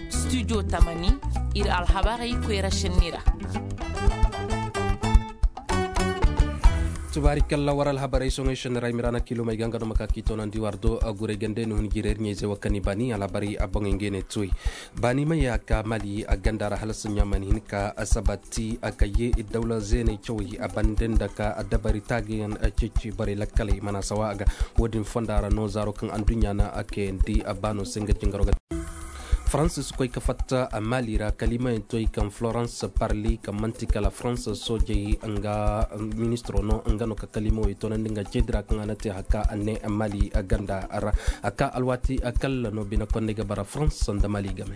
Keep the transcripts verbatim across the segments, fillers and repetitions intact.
Studio tamani, ir alhabarey koyra šenni ra. Tubaari kalla war alhabarey soŋey šenni ra i ma ira na kiilomey ga nga no ma ka k'i toonandi war do. Gurey gande ni hun jireer ɲayzey wo kaŋ i baani alhabarey a boŋey ngey ne tuwey. Baani ma ye a ka mali a ganda ra hala saɲɲa ma ni hin ka asabati a ka ye dawla zeeney cawey a bande nda ka dabari taagayaŋ ceeci borey lakkaley mana sawa a ga. Wo-din fonda ra no zaaro kaŋ adduɲɲa na a kayandi a baano se nga jingaro ga. Faransa si koy ka fatta a mali ra kalimayaŋ toy kaŋ florence parli kaŋ man'ti kala faransa soojey nga ministiro no nga no ka kalimawey toonandi nga ceedi ra kaŋ a na te haka a ne mali ganda ra. A ka alwaati kalla no bine konney ga bara faransa nda mali game.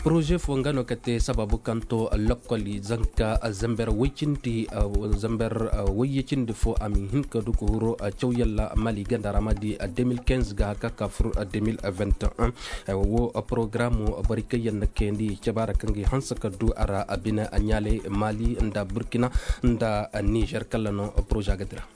Poroze fo nga no ka te sababu kaŋ to lokkoli zanka zamber woy cindi zamber woyye cindi fo a ma hin ka du ka huru caw yalla mali ganda ra ma di deux mille quinze ga haka ka fur deux mille vingt et un. Wo porogaraamu boro kaŋ yaŋ na kayandi cabaara kaŋ ga i hanse ka du a ra a bine a ɲaalay mali nda burkina nda nizer kalla no poroze a ga dira.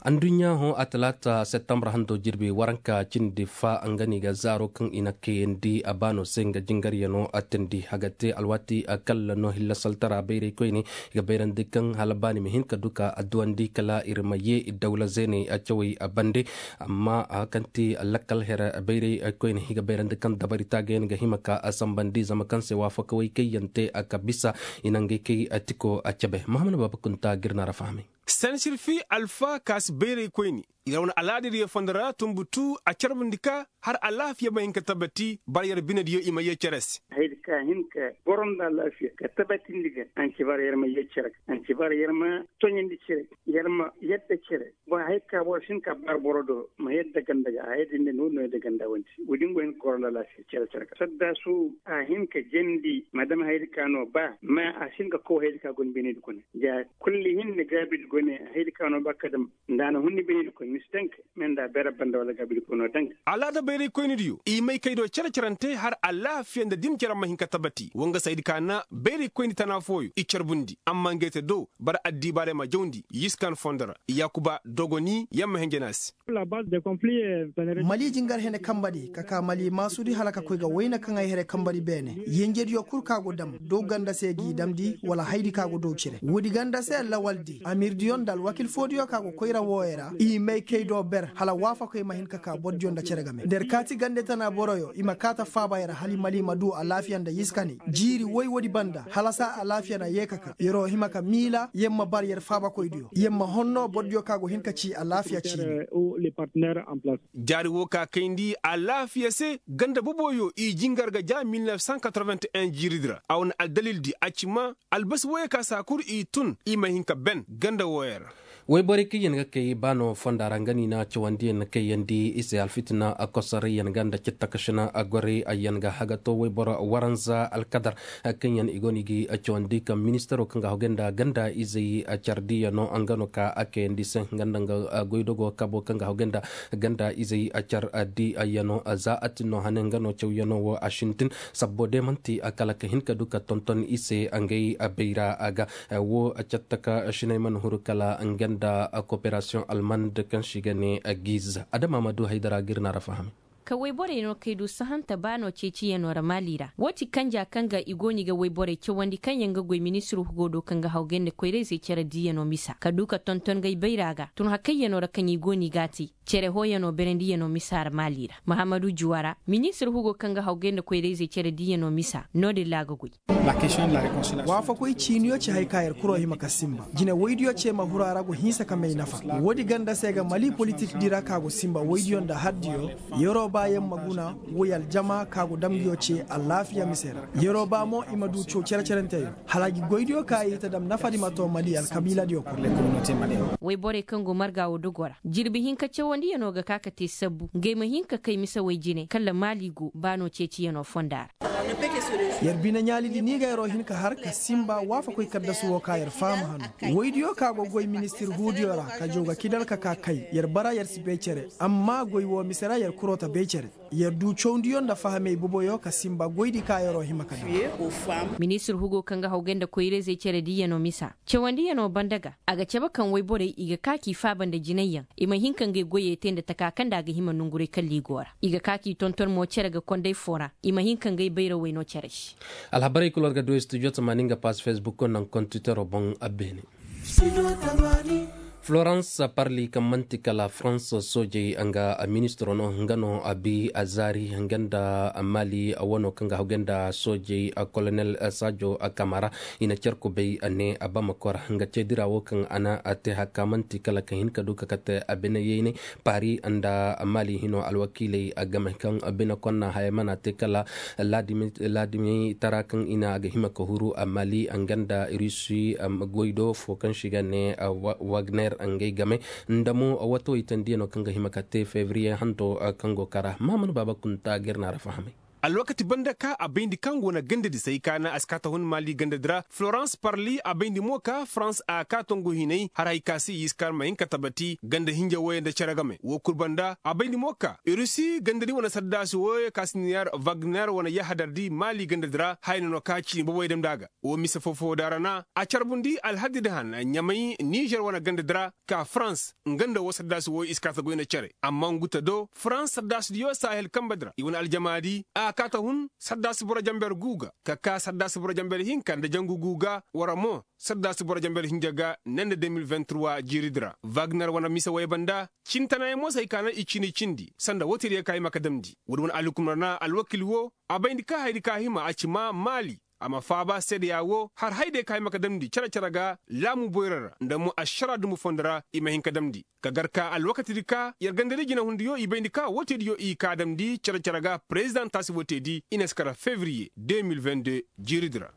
Adduɲɲa hõ a talaata septembre hando jirbi waranka cindi fa nga no i ga zaaro kaŋ i na kayandi a baano se nga jingaryano a tindi a ga te alwaati kalla no hilla saltara bayray koyne i ga bayrandi kaŋ hala baani ma hin ka du ka adduwandi kala ir ma ye dawla zeeney a cawey a bande. Amma a kaŋ ti lakkal here bayray koyne i ga bayrandi kaŋ dabari taagayaŋ ga hima ka a sambandi zama kaŋ se waafakawey kaŋ yaŋ te a ka bisa i na ngey kay a tiko a cabe mahamana baaba kunta ga ir na ra fahamay. Sansirfi alfa ka si bayray koyne i ra wane alaada diyo fondo ra tumbutu a carbundi ka har alaafiya ma hin ka tabati bara yer binediyo i ma yee cere se. Haydi ka hin ka goro nda alaafiya ka tabatindi ga a na ci bara yer ma yee cere ga a na ci bara yer ma toɲandi cere yer ma yadda cere. Boŋ hay ka boro si hin ka bara boro do ma yadda ganda ga haydi nda no no yadda ganda wandi. Woodin go hin ka goro nda alaafiya cere cere ga saddaasu a hin ka jandi ma dam haydi ka no ba ma a si hin ka kow haydi ka go ni binedi gune. Ja kulli hinne gaabidi gune haydi ka no ba ka dam nda a na hun ni binedi koy ni si dank. Me nda bere banda wala gaabidi koy no dank. Alaada bayray koynidiyo i may kay do cere-cerante har alaafiya nda din cere ma hin ka tabati wa nga se haydi ka na bayray koyni tana fooyo i carbundi amma ngey te do bara addiibaarey ma jawndi yiskan fondo ra yaakuba dogoni yer ma henjena se. Mali jingar hene kambadi ka ka mali maasudi hala ka koy ga wayna kaŋ ay here kambadi beene yenjediyo kul ka go dam dow ganda se g'i damndi wala haydi ka go dow cire woodi ganda se lawaldi amirdiyo nda alwakil foodiyo ka go koyra wooyo ra i may kay do ber hala waafakoy ma hin ka ka bordiyo nda cere game nda yer kaati gande tana boroyo i ma kaata faaba yer hala i mali ma duu alaafiya nda yiskani jiiri woy woodi banda hala saa alaafiya na yee ka ka yeroo hima ka miila yer ma bar yer faabakoydiyo yer ma honnoo bordiyo ka go hin ka cii alaafiya ciini. Jaari woo ka kayndi alaafiya se ganda boboyo i jingar ga ja mil nef san katoroven-ti-en jiiridi ra a wane aldalildi a ci ma albasi wooyo ka saa kul i tun i ma hin ka ben ganda wooyo ra. Woyborey kaŋ yaŋ ga kay baano fonda ra nga no i na cawandiyaŋ kayandi i se alfitina kosarayyaŋ ga nda cattakašina gorey yaŋ ga hagato woyboro waranza alkadar kaŋ yaŋ i go no i ga cawandi kaŋ ministaro kaŋ ga hogay nda ganda izey cardiyaŋo nga no ka a kayandi se nga nda nga goydogo kabo kaŋ ga hogay nda ganda izey cardiyaŋo za a tin no hane nga no cawyaŋo wo a sintin sabbo de manti kala ka hin ka du ka tonton i se ngey bayra ga wo cattaka sinay mana huru kala nga nda koperasiyoŋ almand kaŋ se i ga ne giz adama ma du haydara ga ir na ra faham. Ka woyborey no kay du sahanta baano ceeciyaŋo ra maali ra wo ti kanja kaŋ ga i go no i ga woyborey cawandi kaŋ yaŋ ga goy ministir hugo do kaŋ ga hawgay nda koyrayzey care diiyaŋo misa ka du ka tonton ngey bayra ga tun hakayyaŋo ra kaŋ i go no i g'a te cere hooyaŋo berendiyaŋo misa ra maali ra mahammadu juwara ministir hugo kaŋ ga hawgay nda koyrayzey care diiyaŋo misa no-din ra a ga goy. Waafakoy ciiniyo ci hay ka yer kuro hima ka sinba jine woydiyo ce ma huru a ra go hinsa ka may nafa. Woodi ganda se ga mali politik di ra ka go sinba woydiyo nda hardiyo. Yeroo ba yer ma guna woy aljama ka go damgiyo ce alaafiya mise ra. Yeroo ba mo i ma du caw cere-cerenteyo hala gi goydiyo ka i ta dam nafadi ma to mali alkabiiladiyo kul. Woyborey kaŋ go marga wo dogo ra jirbi hinka cawandiyaŋo ga ka ka te sabbu ngey ma hin ka kay mise woy jine kala maali go baano ceeciyaŋo fonda ra. Yer bine ɲaalidi ni ga yeroo hin ka har ka sinba waafakoy kaddasu wo ka yer faham hano. Woydiyo ka go goy ministir huudiyo ra ka jaw ga kidal ka ka kay yer bara yer si bay cere amma goy wo mise ra yer kuroo ta bay. Cere yer du cawndiyo nda fahamey boboyo ka simba goydi ka yer'o hima ka daŋ. Ministir hugo kaŋ ga hawgay nda koyra-izey cere diiyanoo misa cawandiyanoo banda ga a ga cabe kaŋ woyborey i ga ka k'i faaba nda jinayyaŋ, i ma hin ka ngey goyey te nda taka kaŋ nda a ga hima nonguray kalli go ra. I ga ka k'i tonton mo cere ga konday foo ra, i ma hin ka ngey bayrawey no cere se. Alhabarey kul war ga du studio tamaani nga paas fesbuk naŋ kontitoroo boŋ a beene. Florans parli kaŋ man'ti kala farans soojey nga ministiro no nga no a bi a zaari nga nda mali wano kaŋ ga hawgay nda soojey kolonel saajo kamara. I na cer kubay ne a bamako ra nga ceedira wo kaŋ a na te hakka man'ti kala ka hin ka du ka kate a bine yeyney paari nda mali hino alwakiiley game kaŋ bine konna haya mana te kala laadimi tara kaŋ i na a ga hima ka huru mali nga nda rusi goy do fo kaŋ se i ga ne wagner ngey game nda mo wato i tandiyaŋo kaŋ ga hima ka te fevriye hanto kaŋ go kara mahamadu baaba kunta ga ir na ra fahamay. Alwakati banda ka a bayndi kaŋ go na gandadi say ka na a si ka ta hun mali gandadi ra florans parli a bayndi mo ka farans a ka tongu hinay haray ka se i si ka ma hin ka tabati ganda hinja wooyo nda cere game wo kul banda a bayndi mo ka rusi gandadi wane saddaasi wooyo ka si niyar wagner wane yahadardi mali gandadi ra haya no no ka cini boboy damndi a ga. Wo mise foo-foo da ra na a carbundi alhadidi han ɲamay nizer wane gandadi ra ka farans nga nda woo saddaasi wooyo i si ka ta goy nda cere amma ngu ta do farans saddaasidiyo sahel kanbedi ra i wane aljamaadi a ka ta hun saddaasi boro jamber guu ga ka ka saddaasi boro jamber hinka nda jangu guu ga wara mo saddaasi boro jamber hinja ga ne nda de mil vingt-trois jiiridi ra wagner wane mise woy banda cintanayaŋ mo se hay ka naŋ i cini cindi sanda wooteediyo ka hima ka damndi woodi wane alhukum ra na alwakiil woo a bayndi ka hayadi ka hima a ci maa maali a ma faaba seedeya woo har hayadiyo ka hima ka damndi cere-cere ga laamu boyra ra nda mo ašara dumbu fondo ra i ma hin ka damndi ka gar ka alwakatidi ka yer gandadi jinahundiyo i bayndi ka wooteediyo i ka damndi cere-cere ga perezidaŋ taasi wooteedi i na si kara fevriye deux mille vingt-deux jiiridi ra.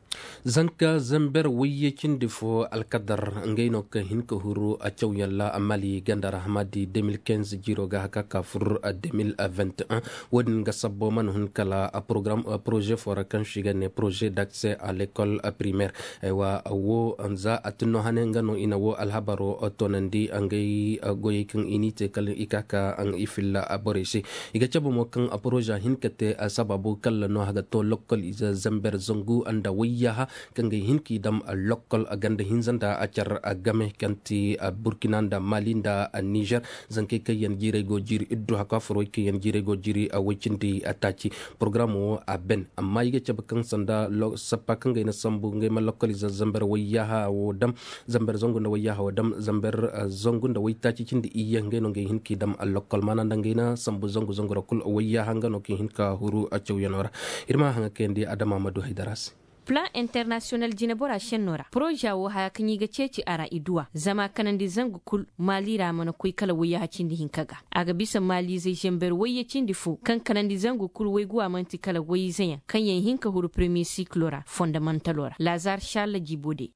Zanka zamber wayye cindi fo alkadar ngey no kaŋ hin ka huru a cawyaŋ ra a mali ganda ra hamadi deux mille quinze jiiro ga haka ka fur deux mille vingt et un. Wo-din ga sabbo mana hun kala a poroze fo ra kaŋ se i ga ne poroze d'accès à l'école primaire. Aywa wo za a tinno hane nga no i na wo alhabaro toonandi ngey goyey kaŋ i n'i te kala i ka ka i filla borey se. I ga cabe mo kaŋ poroze hin ka te sabaabu kala no a ga to lokkol ize zamber zangu nda wayyaha kaŋ ga hin k'i dam lokkol ganda hinza nda a car game kaŋ ti burkina nda mali nda nizer. Zankey kaŋ yaŋ jiirey go jiiri iddu haka furwey kaŋ yaŋ jiirey go jiiri way cindi taaci. Porogaram wo a ben amma i ga cabe kaŋ sanda sappa kaŋ ga ay na sambu ngey ma lokkol ize zamber wayyaha wo dam zamber zangu nda wayyaha wo dam zamber zangu nda waytaaci cindi iyye ngey no ngey hin k'i dam lokkol maana nda ngey na sambu zangu zangu ra kul wayyaha nga no kaŋ hin ka huru a cawyanoo ra. Ir ma haŋa kayandi adama ma du haydara se. Plan internasiyonal jinebora šennoo ra poroza woo haya kaŋ i ga ceeci a ra i duw'a zama kanandi zangu kul maali ra mana koy kala wayyaha cindi hinka ga. A ga bisa maaliizey zamber wayye cindi fo kaŋ kanandi zangu kul wayguwa man'ti kala wayizeyaŋ kaŋ yaŋ hin ka huru peremiye sikiloo ra fondamantaloo ra laazar šalla jibo de.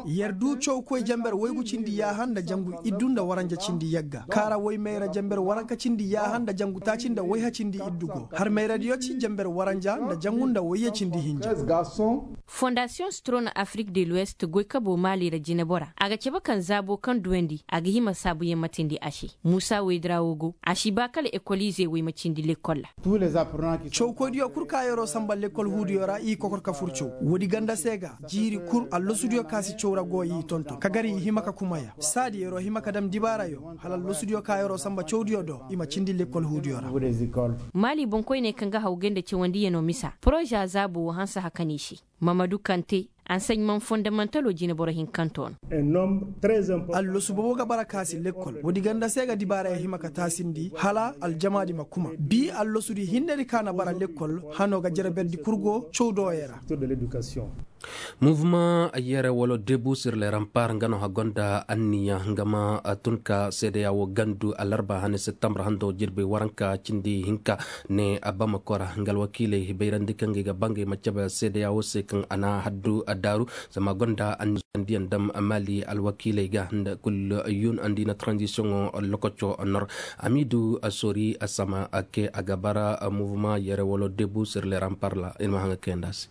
Yer du cawkoy jamber waygu cindi yaaha nda jangu iddu nda waranja cindi yagga kaara waymayra jamber waranka cindi yaaha nda jangu taaci nda wayha cindi iddu go har mayradiyo ci jamber waranja nda jangu nda wayye cindi hinja. Fondasiyoŋ strona afrik de luwest goykaboo maali ra jinebora a ga cabe kaŋ zaaboo kaŋ duwandi a ga hima saabuyaŋ ma tindi a se. Muusa waydiraa woo go a si ba kala ekoliizey wey ma cindi lekkol ra. Cawkoydiyo kul ka yeroo samba lekkol huudiyo ra i kokor ka fur caw woodi ganda se ga jiiri kul allasudiyo ka si caw ra go i tonton ka gar i hima ka kumaya saadi yeroo hima ka dam dibaarayo hala allasudiyo ka yeroo samba cawdiyo do i ma cindi lekkol huudiyo ra. Maali boŋkoyney kaŋ ga hawgay nda cawandiyanoo misa poroza zaabo woo hanse hakaney se. Mamadu kante ansaɲmaŋ fondamantaloo jineboro hinkantoo no. Allasu boobo ga bara ka si lekkol woodi ganda se ga dibaarey hima ka taasindi hala aljamaadi ma kuma bi allasudi hinnedi ka na bara lekkol hanoo ga jere berdi kurgo cawdooyey ra. Muvumaŋ yere wala debu sir le rampar nga no hagonda anniya nga ma tun ka seedeya wo gandu alarba hane septembre hando jirbi waranka cindi hinka ne abama kora nga alwakiiley bayrandi kaŋ ga i ga bangay ma cabe seedeya wo se kaŋ a na haddu a daaru. Zama gonda anniya diyaŋ dam mali alwakiiley ga nda kul yun andi na transition lokoco nor amidu asori asama ake a ga bara muvumaŋ yere wala debu sir le rampar la ir ma haŋa kayanda se.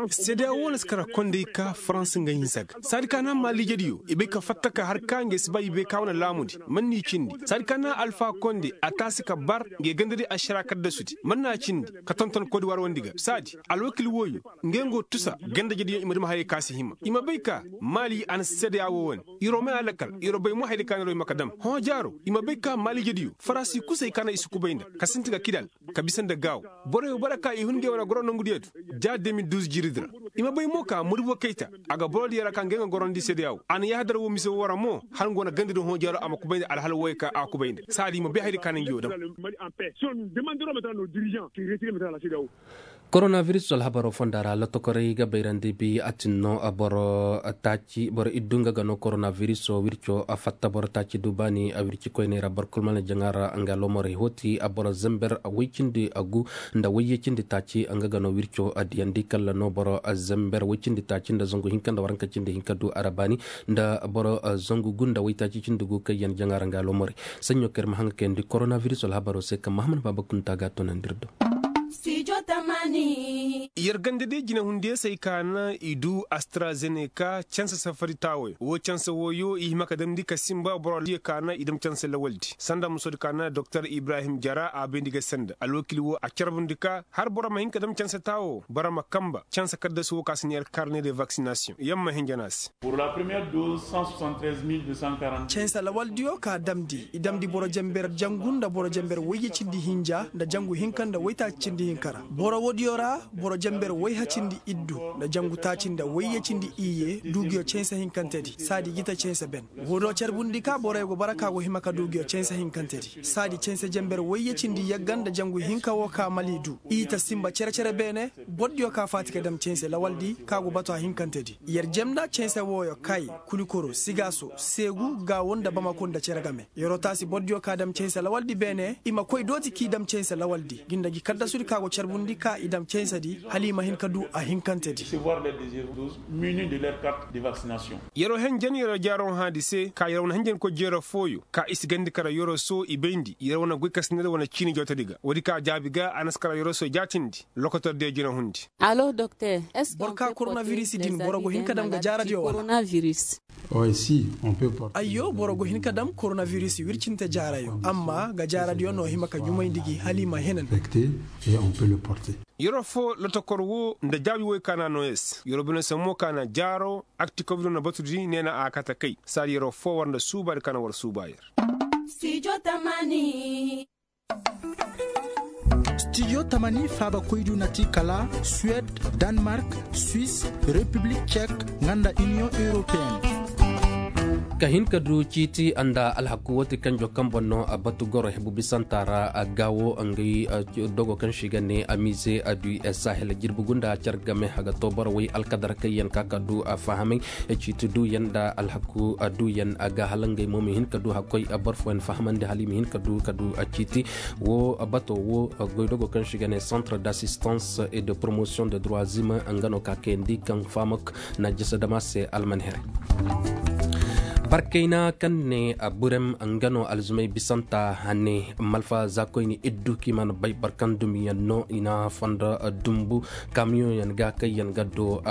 Seedeya wo na si kara kondey ka farans nga hinsa ga saadi ka na maaliijediyo i bay ka fatta ka har ka ngey si ba i bay ka wane laamudi man n'i cindi saadi ka na alfa konde a taasi ka bar ngey gandadi ašara kaddasudi man n'a cindi ka tonton kodiwaar wandi ga saadi alwakil wooyo ngey nga tusa gandajediyo i ma duma hayey ka si hima i ma bay ka maali a na seedeya woo wane. Yeroo may a lakal yeroo bay mo hayday ka na yeroo hima ka dam hõ jaaro i ma bay ka maaliijediyo farasi kusay ka na i si kubay nda ka sinti ga kidal ka bisa nda gaaw boroyo bara ka i hun ngey wane goro nongudiyo du ja de mil duuz jiiridi ra. I ma bay mo ka murbo kayta a ga borodiyo ra ka ngey ga gorandi seedeya woo a na yaahadar woo mise woo ra mo hala nga wane gandadi hõ jaaro a ma kubay nda alhala wooyo ka a kubay nda saadi i ma bay hayday ka na ngi woo dam. Koronabiris alhabaroo fonda ra lotokorey ga bayrandi bi a tin no boro taaci boro iddu nga ga no koronabirisoo wirco fatta boro taaci du baani wirci koyney ra boro kul mana jaŋa ra nga lomorey hooti boro zember woy cindi gu nda woyye cindi taaci nga ga no wirco diyandi kalla no boro zember woy cindi taaci nda zangu hinka nda waranka cindi hinka du a ra baani nda boro zangu gu nda woy taaci cindi gu kaŋ yaŋ jaŋa ra nga lomorey. Saɲɲo kaŋ ir ma haŋ ga kayandi koronabiris alhabaroo se kaŋ mahamad baaba kunta ga a toonandi ir do. Yer ganda day jinehundiyo se ay ka na i du astrazeneka canse safari taawoyo woo canse wooyo i hima ka damndi ka sinba boro diyo ka na i dam canse lawaldi sanda musodi ka na doktor ibrahim jara a bayndi ga sanda alwakil woo a carbundi ka har boro ma hin ka dam canse taawo boro ma kanba canse kaddasu woo ka si neer karne de vaksinasiyoŋ yer ma hinja no a se. Canse lawaldiyo ka damndi i damndi boro jenber jangu nda boro jenber woyye cindi hinja nda jangu hinka nda woytaaci cindi hinka ra. Boro woodiyo ra boro jenber woyha cindi iddu nda jangu taaci nda woyye cindi iyye du nguyo canse hinkantedi saadi i ga ta canse ben. Woo do carbundi ka boroyo go bara ka go hima ka du nguyo canse hinkantedi saadi canse jenber woyye cindi yagga nda jangu hinka woo ka mali du i ta sinba cere-cere beene. Bordiyo ka faati ka dam canse lawaldi ka go batu a hinkantedi yer jemna canse wooyo kay, kulikoro sigaaso, seegu gaawo nda bamako nda cere game. Yeroo taasi bordiyo ka dam canse lawaldi beene i ma koy dooti k'i dam canse lawaldi gi nda gi kaddasudi ka go carbundi ka i dam cansedi hala i ma hin ka du a hinkantedi. Yeroo henjen yeroo jaaroŋ haadi se ka yeroo wane henjenkoy jeeroo fooyo ka i si gandi kara yeroo soo i bayndi yeroo wane goy ka si neer wane ciini jawtedi ga woodi ka jaabi ga a na si kara yeroo soo jaatindi lokotor diyo jinahundi. Boro ka koronavirisi din boro go hin ka dam ga jaaradiyo wala? Ayyo boro go hin ka dam koronavirisi wircinte jaarayo amma ga jaaradiyo no hima ka ɲumayndi gi hala i ma henan. Yeroo foo lotokor woo nda jaabi woy ka na a noo yer se yeroo bine se mo ka na jaaro akti kobiro na batudi nee na a kate kay saadi yeroo foo war nda suubaadi ka na war suuba yer. Stijo tamani faaba koydu na ti kala suwed, danmark, swis, repiblik cek, nga nda iniyoŋ europeyen. Ka hin ka du ciiti nda alhaku woo ti kanjo kaŋ boŋ no a batu goro hebu bisanta ra a gaawo ngey dogo kaŋ se i ga ne amize a du sahel jirbi gunda car game a ga too boro woy alkadar kaŋ yaŋ ka ka du a fahamay ciiti duuyaŋ nda alhaku duuyaŋ a ga hala ngey mo ma hin ka du hakkoy boro fooyaŋ fahamandi hala i ma hin ka du ka du ciiti. Woo bato woo goydogo kaŋ se i ga ne centre d'assistance et de promotion de droits humains nga no ka kayandi kaŋ fahamay na jasa dama se alman here. Barkayna kaŋ ne burem nga no alzumay bisanta hane malfa za koyne iddu kaŋ i mana bay boro kaŋ dumiyaŋ no i na fondo dumbu kamiyoŋyaŋ ga kaŋ yaŋ ga do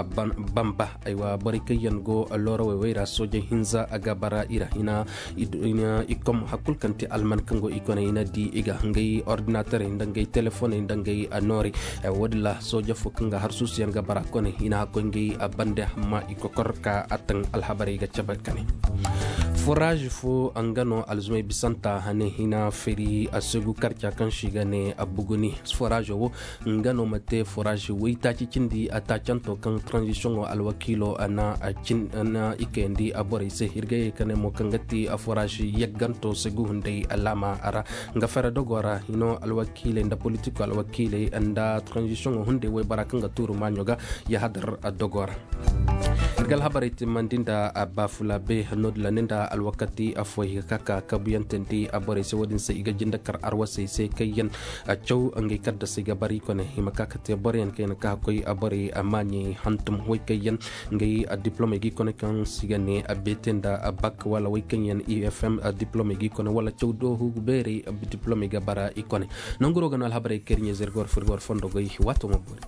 bamba aywa borey kaŋ yaŋ go loorawey wey ra soojey hinza a ga bara i ra hina. I kom hari kulu kaŋ ti alman kaŋ go i kone i na di i ga ngey ordinaterey nda ngey telefoney nda ngey noorey. Woodin ra sooje fo kaŋ ga harsuusuyaŋ ga bara kone i na hakkoy ngey bande amma i kokor ka a taŋ alhabarey ga cabe kane. Foraaz fo nga no alzumay bisanta hane hina feri a segu karca kaŋ se i ga ne buguni. Foraazo wo nga no ma te foraazi waytaaci cindi a taacanto kaŋ tranzisiyoŋo alwakiilo na i kayandi borey se hirgayey ka ne mo kaŋ ga ti foraazi yagganto segu hunday alaama ra. Nga fere dogo ra hino alwakiiley nda politiko alwakiiley nda tranzisiyoŋo hunday waybora kaŋ ga tuuru maaɲo ga yahadar dogo ra. Ga alhabarey timmandi nda baafula be noodin ra ni nda alwakati affooyaŋ i ga ka ka kabuyantandi borey se wo-din se i ga jinde kar arwasey se kaŋ yaŋ caw ngey kaddasey ga bara i kone i ma ka ka te boroyaŋ kaŋ yaŋ ka koy borey maaɲey hantum way kaŋ yaŋ ngey diplomey ga i kone kaŋ se i ga ne beete nda bak wala way kaŋ yaŋ i f m diplomey ga i kone wala caw doohu beerey diplomey ga bara i kone. Nanguro ga no alhabarey kaŋ ir ɲeeze ir ga war fur ir ga war fondo goy waato ma boori.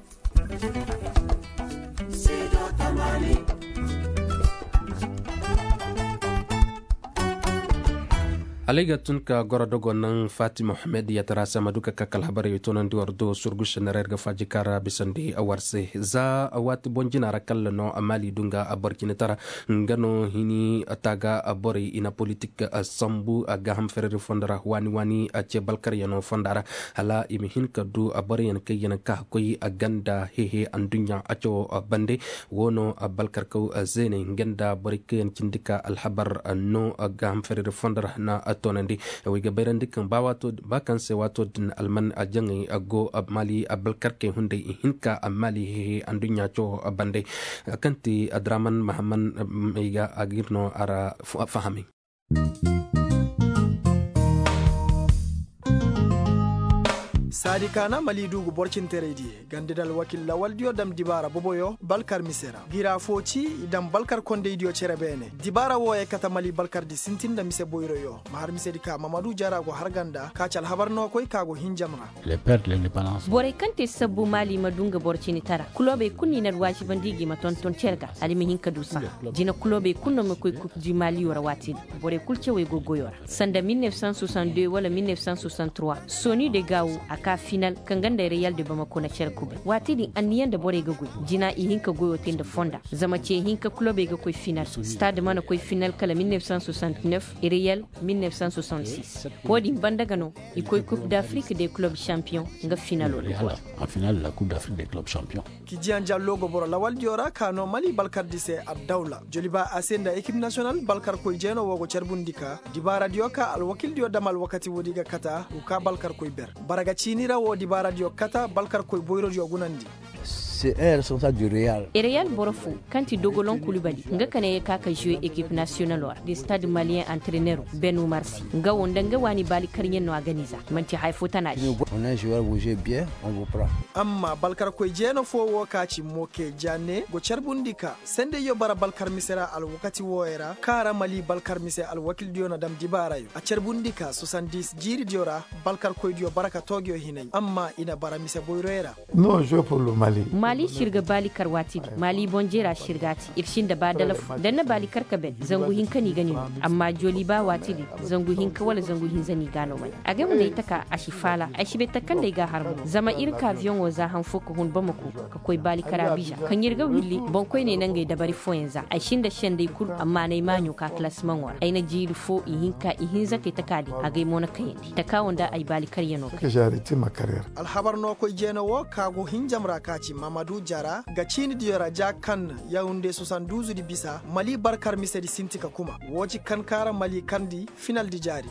Alay ga tun ka goro dogo naŋ fatima mohammed yatara se ma du ka ka alhabarey toonandi war do surgu senera ir ga faaji kaara bisandi war se za waati boŋ jina ra kalla no maali du nga boro cine tara nga no hini taaga borey i na politik sambu gaaham fereri fondo ra waani waani ce balkaryaŋo fonda ra hala i ma hin ka du boroyaŋ kaŋ yaŋ ka koy ganda hehe anduɲɲa cawo bande. Wo no balkarkaw zeeney nga nda borey kaŋ yaŋ cindi ka alhabar no gaaham fereri fondo ra na toonandi. Wey ga bayrandi kaŋ ba kaŋ se waato din alman jaŋey go maali balkarkey hunday i hin ka maali hehe anduɲɲa cawo bande. Kaŋ ti adraman mahamman may ga a ga ir no a ra fahamay. Saadi kaana mali duugu borcinterey diye ganda da alwakil lawaldiyo dam dibaara boboyo balkar mise ra gira fo ci i dam balkar kondeydiyo cere beene dibaara wooyey kate mali balkardi sintin nda mise boyroyo ma har misedi ka mamadu jara go har ganda ka ci alhabar no koy ka go hinjam ra. Borey kaŋ te sabbu maali ma du nga boro cini tara kulobey kulu no i na alwaazibandi i ga i ma tonton cere ga hala i ma hin ka du saha. Jina kulobey kulu no ma koy kub di maaliyo ra waati din borey kulu cawey go goyo ra sanda mil neef san soixante deux wala mil neef san soixante trois soni de gaawu a ka final kaŋ ganda reyal de bamako na cere kubay waati din anniya nda borey ga goy. Jina i hin ka goyo te nda fonda zama ce hinka kulobey ga koy final stade mana koy final kala mil neef san soixante neef reyal mil neef san soixante six. Wo-din banda ga no i koy coupe d'afrique de club champion nga finalo ra. Kijiyaŋ jallo go boro lawaldiyo ra ka no mali balkardi se addawla joliba a se nda ekip nasiyonal balkarkoy jeeno wo go carbundi ka dibaaradiyo ka alwakildiyo dam alwakati woodi ga kata u ka balkarkoy ber. Bara ga ciini ra wo dibaaradiyo kata balkarkoy boyrodiyo gunandi. Reyal boro fo kaŋ ti dogolon kulubali nga ka ne ye ka ka zuwe ekip nasiyonalo ra de stade maliyen antrenero ben umarsi nga wo nda nga waani baali karɲe no a ganiza manti haya fo tana di. Amma balkarkoy jeeno fo wo ka ci moke janne go carbundi ka sendeyyo bara balkar mise ra alwakati wooyo ra kaŋ a ra mali balkar mise alwakildiyo na dam dibaarayo a carbundi ka soixante dix jiiridiyo ra balkarkoydiyo bara ka toogiyo hinay amma i na bara mise boyroyo ra. Maali sirga baali kar waati din maali boŋ jeera sirga ti ir sinda ba dala fo da ni na baali kar ka ben zangu hinka no i ga ni no. Amma jooli ba waati din zangu hinka wala zangu hinza no i ga a no mane. Agay ma ne ay taka a si faala ay si bay taka kaŋ nda ay ga a har mo zama ir ka abiyoŋo za han fo ka hun bamako ka koy baali kar abiza kaŋ ir ga willi boŋkoyney nangey dabari fooyaŋ za ay sinda senday kul amma na ay maaɲo ka kalasimaŋo ra ay na jiiri fo ihinka ihinza kay taka din agay mo na kayandi taka wo nda ay baali karyaŋo kay. Alhabar no koy jeeno wo ka go hinjam ra ka ci mamadu jara ga ciini diyo ra ja kaŋ yawunde soixante douze di bisa mali barkar misedi sinti ka kuma wo ci kaŋ kaara mali kaŋ di final di jaari.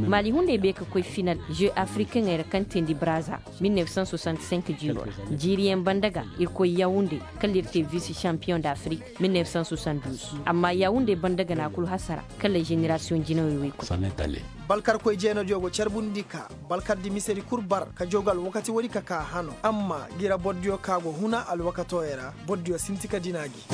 Mali hunday bay ka koy final jeu africain ra kaŋ teendi braza mil neef cent soixante cinq jiiro ra. Jiiriyaŋ banda ga ir koy yawunde kala ir te vice champion d'afrique mil neef cent soixante douze amma yawunde banda ga na kulu hasara kala génération jinawey wey koy. Balkarkoy jeenodiyo go carbundi ka balkardi misedi kul bar ka jogu alwakati woodi ka ka hano amma gira bordiyo ka go huna alwakatooyo ra bordiyo sinti ka dina gi.